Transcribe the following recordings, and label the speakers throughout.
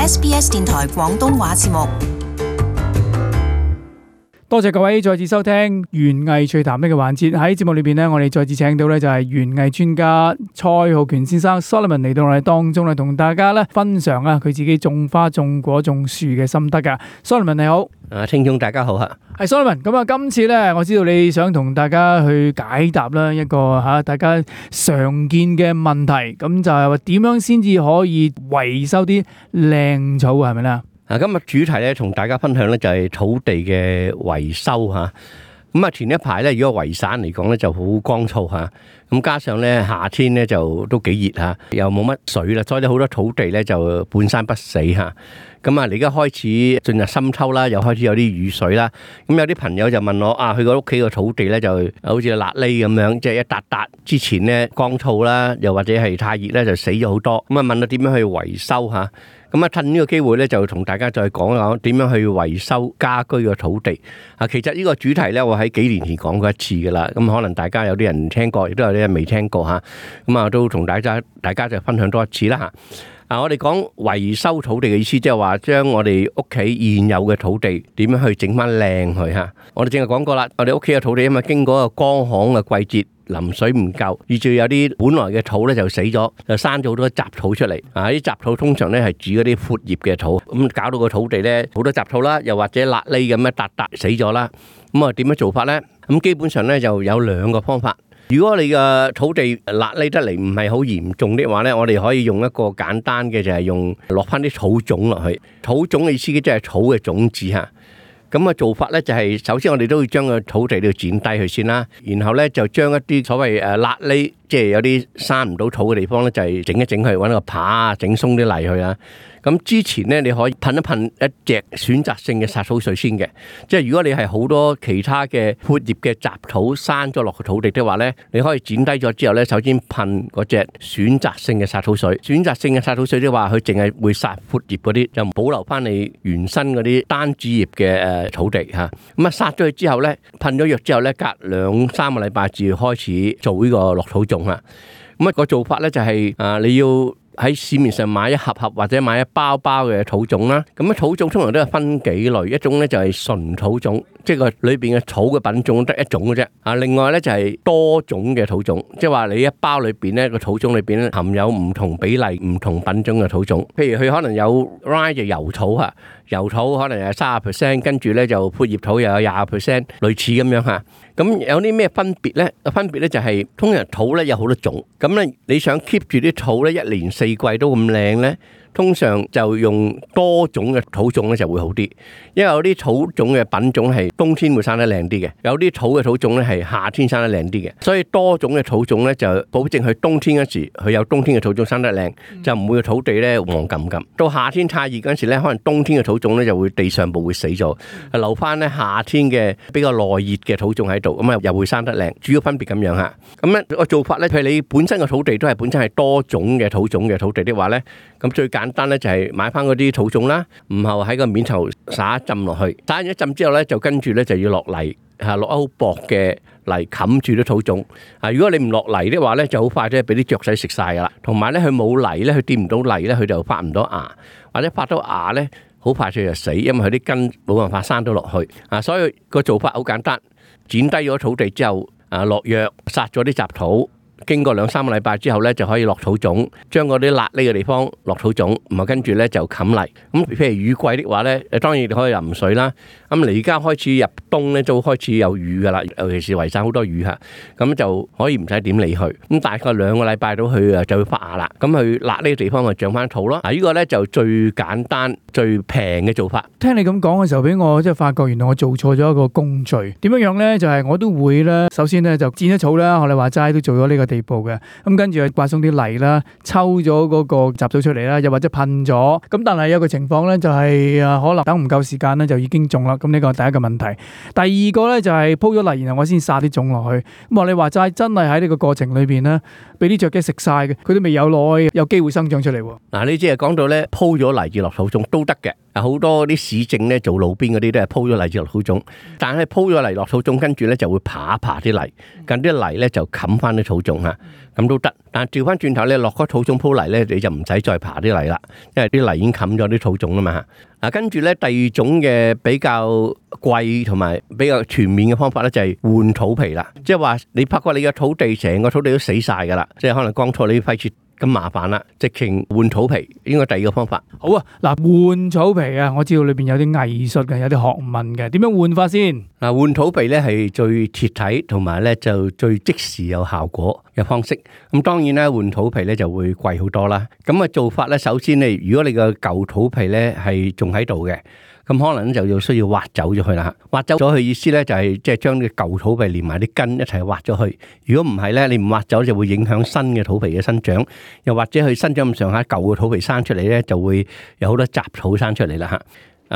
Speaker 1: SBS 電台廣東話節目。
Speaker 2: 多謝各位再次收聽園藝趣談呢個環節。喺節目裏邊呢，我哋再次請到呢就係園藝專家蔡浩權先生 Solomon 嚟到我哋當中咧，同大家咧分享佢自己種花、種果、種樹嘅心得噶。Solomon 你好，
Speaker 3: 聽眾大家好吓。
Speaker 2: 係 Solomon，咁啊，今次咧我知道你想同大家去解答啦一個大家常見嘅問題，咁就係話點樣先至可以維修啲靚草係咪咧？
Speaker 3: 今日主題咧，同大家分享咧就係土地嘅維修吓。咁啊，前一排咧，如果維省嚟講咧就好乾燥吓，咁加上咧夏天咧就都幾熱吓，又冇乜水啦，所以咧好多土地咧就半生不死吓。咁啊，你而家開始進入深秋啦，又開始有啲雨水啦。咁有啲朋友就問我佢個屋企個土地咧就好似辣痢咁樣，即係一笪笪之前咧乾燥啦，又或者係太熱咧就死咗好多。咁啊，問我點樣去維修吓？咁啊，趁呢個機會咧，就同大家再講一講點樣去維修家居嘅土地。其實呢個主題咧，我喺幾年前講過一次噶啦。咁可能大家有啲人聽過，亦都有啲人未聽過吓。咁啊，都同大家就分享多一次啦吓。我哋講維修土地嘅意思，即係話將我哋屋企現有嘅土地點樣去整翻靚佢吓。我哋正係講過啦，我哋屋企嘅土地因為經過一個乾旱嘅季節，淋水唔夠，以至有啲本來嘅土咧就死咗，就生咗好多雜草出嚟。啲雜草通常咧係指嗰啲闊葉嘅土，咁搞到個土地咧好多雜草啦，又或者辣痢咁一笪笪死咗啦。咁啊點樣做法咧？咁基本上咧就有兩個方法。如果你嘅土地辣痢得嚟唔係好嚴重的話咧，我哋可以用一個簡單嘅，就係用落翻啲草種落去。草種嘅意思即係草嘅種子吓。咁啊做法咧就係首先我哋都要將個土地要剪低佢先啦，然後咧就將一啲所謂辣痢，即係有啲生唔到土嘅地方咧，就係整一整佢，搵個耙整鬆啲泥去啦。咁之前咧你可以噴一噴一隻選擇性嘅殺草水先嘅，即係如果你係好多其他嘅闊葉嘅雜草生咗落個土地的話咧，你可以剪低咗之後咧，首先噴嗰隻選擇性嘅殺草水。選擇性嘅殺草水即係話佢淨係會殺闊葉嗰啲，就保留翻你原生嗰啲單主葉嘅土地吓。咁啊殺咗佢之後咧，噴咗藥之後咧，隔2-3個禮拜至開始做呢個落土種啊。咁啊個做法咧就係你要喺市面上買一盒或者買一包嘅土種啦。咁土種通常都係分幾類，一種咧就係純土種，即係個裏邊嘅草嘅品種得一種嘅啫。另外咧就係多種嘅土種，即係話你一包裏邊咧個土種裏邊咧含有唔同比例、唔同品種嘅土種。譬如佢可能有 rye 就油草吓，油草可能係30%，跟住咧就闊葉土又有20%，類似咁樣吓。咁有啲咩分別咧？分別咧就係通常土咧有好多種，咁咧你想 keep 住啲土咧一年4季都咁靚咧，通常就用多種嘅土種咧就會好啲，因為有啲土種嘅品種係冬天會生得靚啲嘅，有啲土嘅土種咧係夏天生得靚啲嘅，所以多種嘅土種咧就保證佢冬天嗰時佢有冬天嘅土種生得靚，就唔會個土地咧黃冚冚。到夏天太熱嗰陣時咧，可能冬天嘅土種咧就會地上部會死咗，留翻咧夏天嘅比較耐熱嘅土種喺度，咁啊又會生得靚。主要分別咁樣吓。咁咧個做法咧，譬如你本身嘅土地都係本身係多種嘅土種嘅土地的話咧，咁最簡單咧就係買翻嗰啲土種啦，然後喺個面頭灑一浸落去，灑完一浸之後咧，就跟住咧就要落泥，落好薄嘅泥冚住啲土種。如果你唔落泥的話咧，就好快咧俾啲雀仔食晒噶啦。同埋咧佢冇泥咧，佢掂唔到泥咧，佢就發唔到芽，或者發到芽咧，好快脆就死，因為佢啲根冇辦法生到落去。所以個做法好簡單，剪低咗土地之後，落藥殺咗啲雜土。經過2-3個禮拜之後咧，就可以落土種，將嗰啲辣痢嘅地方落土種，然後跟住咧就冚泥。咁譬如雨季的話咧，當然你可以淋水啦。咁你而家開始入冬咧，都開始有雨噶啦，尤其是維省好多雨吓，咁就可以唔使點理佢。咁大概2個禮拜到佢就會發芽啦。咁佢辣痢嘅地方咪長翻土咯。呢個咧就最簡單、最平嘅做法。
Speaker 2: 聽你咁講嘅時候，俾我即係發覺，原來我做錯咗一個工序。點樣樣咧？就係我都會咧，首先咧就剪咗草啦。學你話齋都做咗呢個地步嘅，咁跟住去刮鬆啲泥啦，抽咗嗰個雜草出嚟啦，又或者噴咗。咁但係有個情況咧，就係可能等唔夠時間咧，就已經種啦。咁呢個係第一個問題。第二個咧就係鋪咗泥，然後我先撒啲種落去。咁學你話齋，真係喺呢個過程裏邊咧，俾啲雀雞食晒嘅，佢都未有耐有機會生長出嚟。
Speaker 3: 嗱，你即係講到咧鋪咗泥至落土種都得嘅。好多啲市政咧做路邊嗰啲都係鋪咗泥至落土種，但係鋪咗泥落土種，跟住咧就會爬啲泥，近啲泥咧就冚翻啲土種嚇。咁都得。但係調翻轉頭咧，落嗰土種鋪泥咧，你就唔使再爬啲泥啦，因為啲泥已經冚咗啲土種啦嘛。嗱，跟住咧第二種嘅比較貴同埋比較全面嘅方法咧，就係換土皮啦。即係話你發覺你嘅土地成個土地都死晒噶啦，即係可能光錯你費事咁麻煩啦，直情換土皮，應該第二個方法。
Speaker 2: 好啊，嗱，換草皮啊，我知道裏邊有啲藝術嘅，有啲學問嘅，點樣換法先？
Speaker 3: 嗱，換土皮咧係最貼體同埋咧就最即時有效果嘅方式。咁當然咧換土皮咧就會貴好多啦。咁嘅做法咧，首先你如果你個舊土皮咧係仲喺度嘅，咁可能就要需要挖走咗佢啦。挖走咗佢意思咧就係即係將啲舊土皮連埋啲根一齊挖咗去。如果唔係咧，你唔挖走就會影響新嘅土皮嘅生長，又或者佢生長咁上下，舊嘅土皮生出嚟咧就會有好多雜草生出嚟啦嚇。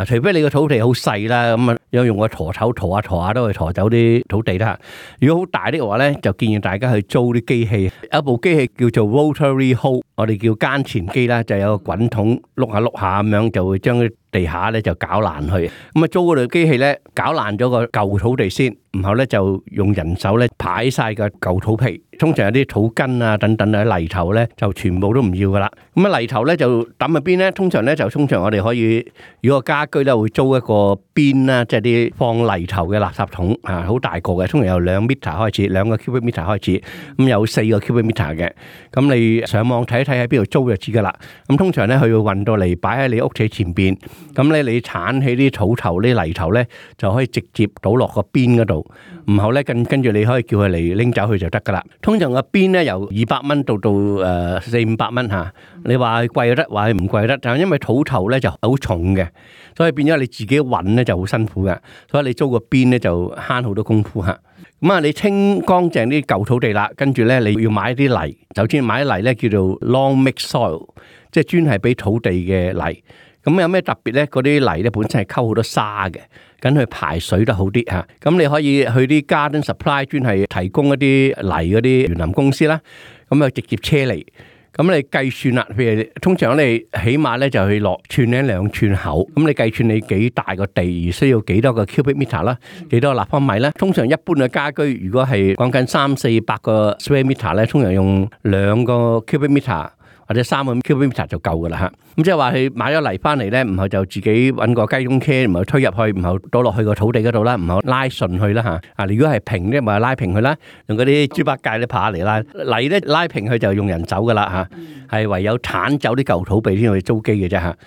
Speaker 3: 除非你個土地好細啦，咁啊有用個砣頭砣下都去砣走啲土地啦。如果好大啲嘅話咧，就建議大家去租啲機器，有一部機器叫做 rotary hoe， 我哋叫耕田機啦，就有個滾筒碌下碌下咁樣，就會將啲地下咧就搞爛去。咁啊租嗰台機器咧，搞爛咗個舊土地先，然後咧就用人手咧排晒個舊土皮。通常有啲土根啊等等啊泥頭咧就全部都唔要噶啦。咁啊泥頭咧就抌喺邊咧？通常我哋可以，如果個家居咧會租一個邊啦，即係啲放泥頭嘅垃圾桶啊，好大個嘅，通常由2 meter 開始，2個 cubic meter 開始，咁有4個 cubic meter 嘅。咁你上網睇一睇喺邊度租就知噶啦。咁通常咧佢會運到嚟擺喺你屋企前邊，咁咧你鏟起啲土頭啲泥頭咧就可以直接倒落個邊嗰度，然後咧跟住你可以叫佢嚟拎走佢就得噶啦。通常個邊咧由200蚊到400-500蚊嚇，你話貴就得，話唔貴就得，但係因為土頭咧就好重嘅，所以變咗你自己運咧就好辛苦嘅，所以你租個邊咧就慳好多功夫嚇。咁啊，你清乾淨啲舊土地啦，跟住咧你要買啲泥，首先買啲泥咧叫做 long mix soil， 即係專係俾土地嘅泥。咁有咩特別咧？嗰啲泥咧本身係溝好多沙嘅，咁佢排水得好啲嚇。咁你可以去啲 garden supply 專係提供一啲泥嗰啲園林公司啦，咁啊直接車嚟。咁你計算啦，譬如通常你起碼咧就去落寸零2寸厚，咁你計算你幾大個地而需要幾多個 cubic meter 啦，幾多個立方米咧？通常一般嘅家居如果係講緊300-400個 square meter 咧，通常用2個 cubic meter。或者3個 cubic meter 就夠噶啦嚇，咁即係話佢買咗泥翻嚟咧，然後就自己揾個雞公車，然後推入去，然後倒落去個土地嗰度啦，然後拉順去啦嚇。啊，如果係平咧，咪拉平佢啦，用嗰啲豬八戒咧爬嚟拉泥咧拉平佢就用人走噶啦嚇，係唯有剷走啲舊土地先去租機嘅啫嚇。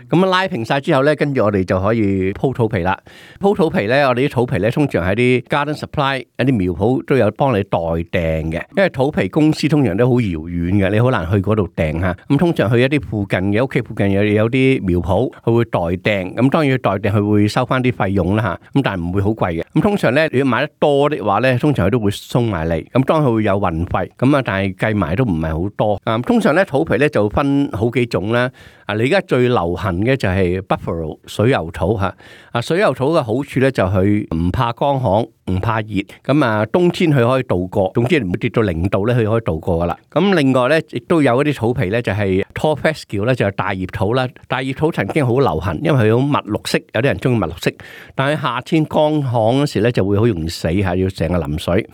Speaker 3: 咁拉平晒之後咧，跟住我哋就可以鋪土皮啦。鋪土皮咧，我哋啲土皮咧，通常喺啲 garden supply 一啲苗圃都有幫你代訂嘅，因為土皮公司通常都好遙遠嘅，你好難去嗰度訂嚇。咁通常去一啲附近嘅屋企附近有啲苗圃，佢會代訂。咁當然代訂佢會收翻啲費用啦嚇。咁但係唔會好貴嘅。咁通常咧，如果買得多的話咧，通常佢都會送埋嚟。咁當然佢會有運費。咁啊，但係計埋都唔係好多。通常咧土皮咧就分好幾種啦。你而家最流行嘅就係 Buffalo 水牛土嚇。水牛土嘅好處咧就係唔怕乾旱，唔怕熱。咁啊，冬天佢可以度過，總之唔會跌到0度咧，佢可以度過噶啦。咁另外咧，亦都有一啲土皮咧，就係 Tall Fescue 咧，就係大葉土啦。大葉土曾經好流行，因為佢好密綠色，有啲人中意密綠色。但係夏天乾旱嗰時咧，就會好容易死嚇，要成日淋水。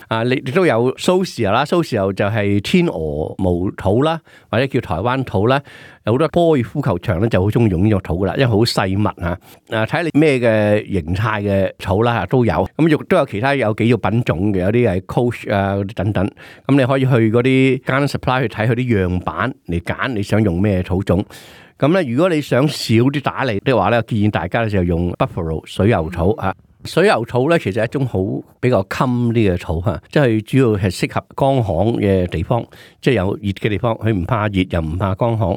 Speaker 3: 亦都有 Sausia 啦，Sausia就係天鵝毛土啦，或者叫台灣土啦。有好多高爾夫球場咧就好中意用呢種土噶啦，因為好細密嚇。睇你咩嘅形態嘅土啦嚇都有。咁亦都有其他有幾個品種嘅，有啲係 Coach 啊嗰啲等等。咁你可以去嗰啲 garden supply 去睇佢啲樣板嚟揀你想用咩土種。咁咧，如果你想少啲打理的話咧，建議大家就用 Buffalo 水牛土嚇。水牛土咧，其實係一種好比較襟啲嘅土嚇，即係主要係適合乾旱嘅地方，即係有熱嘅地方，佢唔怕熱又唔怕乾旱。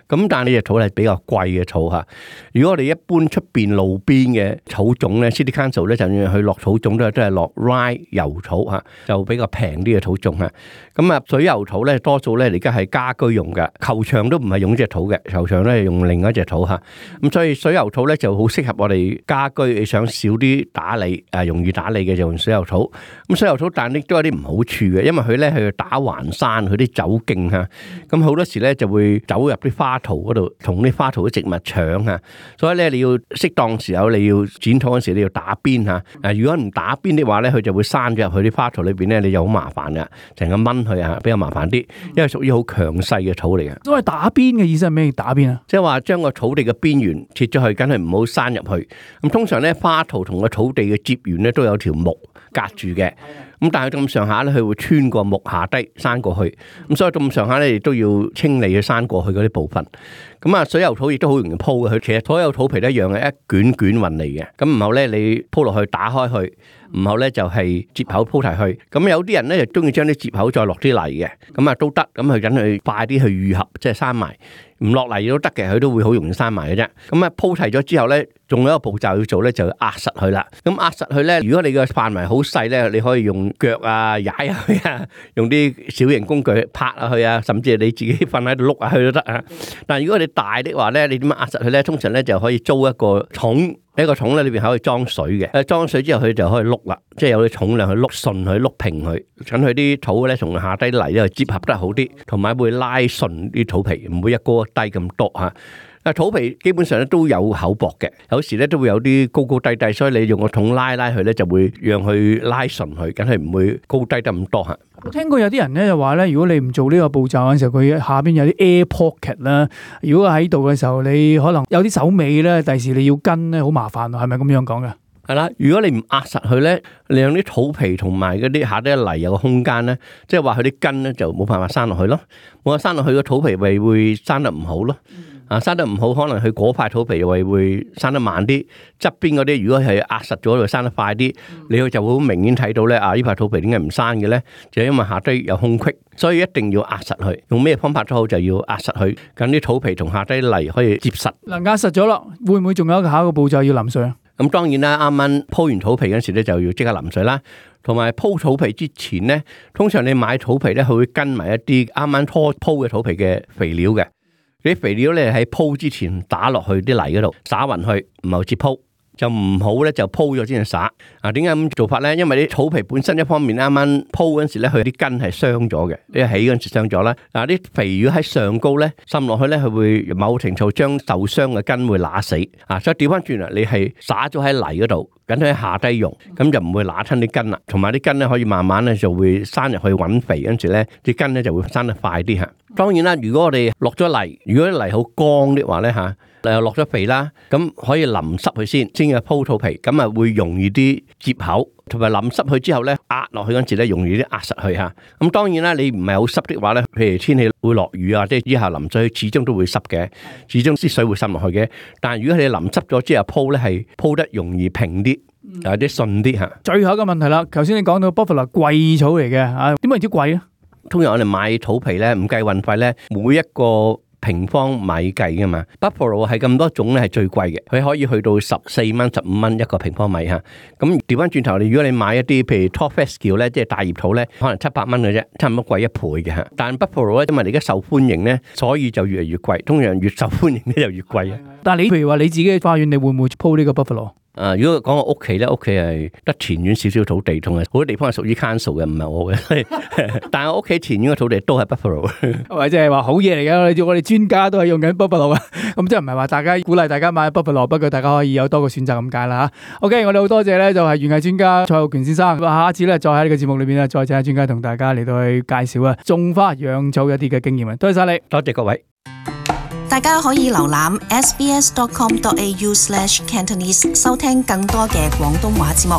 Speaker 3: 咁但係呢隻土係比較貴嘅土嚇。如果我哋一般出邊路邊嘅土種咧 ，City Council 咧就算佢落土種都係落 rye 油土嚇，就比較平啲嘅土種嚇。咁啊，水牛土咧多數咧而家係家居用嘅，球場都唔係用呢隻土嘅，球場咧係用另一隻土嚇。咁所以水牛土咧就好適合我哋家居，你想少啲打理容易打理嘅就用水牛土。咁水牛土但亦都有啲唔好處嘅，因為佢咧去打橫山，佢啲走徑嚇，咁好多時咧就會走入啲花槽嗰度同啲花槽嘅植物搶嚇，所以咧你要適當時候你要剪土嗰時你要打邊嚇。如果唔打邊的話咧，佢就會生咗入去啲花槽裏邊咧，你就好麻煩噶，成日掹佢啊，比較麻煩啲，因為屬於好強勢嘅草嚟嘅。
Speaker 2: 所謂打邊嘅意思係咩？打邊啊？
Speaker 3: 即係話將個草地嘅邊緣切咗去，梗係唔好生入去。咁通常咧花槽同個草地嘅接緣咧都有條木隔住嘅。咁但係咁上下咧，佢會穿過木下低生過去，咁所以咁上下咧亦都要清理佢生過去嗰啲部分。咁啊，水牛土亦都好容易鋪嘅，佢其實所有土皮都一樣嘅，一卷卷運嚟嘅。咁然後咧，你鋪落去打開去，然後咧就係接口鋪提去。咁有啲人咧就中意將啲接口再落啲泥嘅，咁啊都得。咁佢等佢快啲去愈合，即係生埋。唔落泥都得嘅，佢都會好容易生埋嘅啫。咁啊鋪提咗之後咧，仲有一個步驟要做咧，就要壓實佢啦。咁壓實佢咧，如果你嘅範圍好細咧，你可以用腳啊踩下去啊，用啲小型工具拍下去啊，甚至係你自己瞓喺度碌下去都得啊。但係如果你大的話咧，你點樣壓實佢咧？通常咧就可以租一個桶，一個桶咧裏邊可以裝水嘅。裝水之後佢就可以碌啦，即係有啲重量去碌順佢、碌平佢，等佢啲土咧從下低泥咧接合得好啲，同埋會拉順啲土皮，唔會一高低咁多嚇。土皮基本上咧都有厚薄嘅，有時咧都會有啲高高低低，所以你用個桶拉佢咧就會讓佢拉順佢，梗係唔會高低得咁多嚇。
Speaker 2: 我聽過有啲人咧就話咧，如果你唔做呢個步驟嘅時候，佢下邊有啲 air pocket 啦。如果喺度嘅時候，你可能有啲手尾咧，第時你要跟咧好麻煩，係咪咁樣講嘅？
Speaker 3: 係啦，如果你唔壓實佢咧，你用啲土皮同埋嗰啲下低泥有個空間咧，即係話佢啲根咧就冇辦法生落去咯，冇法生落去個土皮咪會生得唔好咯。生得唔好，可能佢嗰塊土皮又會生得慢啲，側邊嗰啲如果係壓實咗，就生得快啲。你就會好明顯睇到咧，呢塊土皮點解唔生嘅咧？就因為下低有空隙，所以一定要壓實佢。用咩方法都好，就要壓實佢，咁啲土皮同下低泥可以接實。
Speaker 2: 嗱，壓實咗啦，會唔會仲有一個下一個步驟要淋水啊？
Speaker 3: 咁當然啦，啱啱鋪完土皮嗰時咧，就要即刻淋水啦。同埋鋪土皮之前咧，通常你買土皮咧，佢會跟埋一啲啱啱初鋪嘅土皮嘅肥料嘅。啲肥料咧喺鋪之前打落去啲泥嗰度，灑勻去，唔係接鋪，就唔好咧就鋪咗先去灑。點解咁做法咧？因為啲土皮本身一方面啱啱鋪嗰陣時咧，佢啲根係傷咗嘅，一起嗰陣時傷咗啦。啲肥料喺上高咧滲落去咧，佢會某程度將受傷嘅根會揦死。所以調翻轉啦，你係灑咗喺泥嗰度，等佢喺下低用，咁就唔會揦親啲根啦。同埋啲根咧可以慢慢咧就會生入去揾肥，跟住咧啲根咧就會生得快啲嚇。當然啦，如果我哋落咗泥，如果啲泥好乾的話咧嚇，又落咗肥啦，咁可以淋濕佢先去鋪土皮，咁啊會容易啲接口，同埋淋濕佢之後咧壓落去嗰陣時咧容易啲壓實佢嚇。咁當然啦，你唔係好濕的話咧，譬如天氣會落雨啊，即係之後淋水始終都會濕嘅，始終啲水會滲落去嘅。但係如果你淋濕咗之後鋪咧，係鋪得容易平啲，有啲順啲嚇。
Speaker 2: 最後一個問題啦，頭先你講到 Buffalo 貴草嚟嘅嚇，點解知貴咧？
Speaker 3: 通常我哋買土皮咧，唔計運費咧，每一個平方米計噶嘛。Buffalo 係咁多種咧，係最貴嘅，佢可以去到14蚊、15蚊一個平方米嚇。咁調翻轉頭，如果你買一啲譬如 Top Fescue 咧，即係大葉土咧，可能700蚊嘅啫，差唔多貴1倍嘅嚇。但 Buffalo 咧，因為你而家受歡迎咧，所以就越嚟越貴。通常越受歡迎咧就越貴啊。
Speaker 2: 但係你譬如話你自己嘅花園，你會唔會鋪呢個 Buffalo？
Speaker 3: 如果講我屋企咧，屋企係得前院少少土地，同埋好多地方係屬於 council 嘅，唔係我嘅。但係我屋企前院嘅土地都係 Buffalo，
Speaker 2: 或者係話好嘢嚟嘅。我哋專家都係用緊 Buffalo 啊，咁即係唔係話大家鼓勵大家買 Buffalo，不過大家可以有多個選擇咁解啦嚇。OK，我哋好多謝咧，就係園藝專家蔡浩權先生。下一次咧，再喺呢個節目裏邊咧，再請專家同大家嚟到去介紹啊種花養草一啲嘅經驗啊。多謝晒你，
Speaker 3: 多謝各位。
Speaker 1: 大家可以瀏覽 sbs.com.au/cantonese 收聽更多嘅廣東話節目。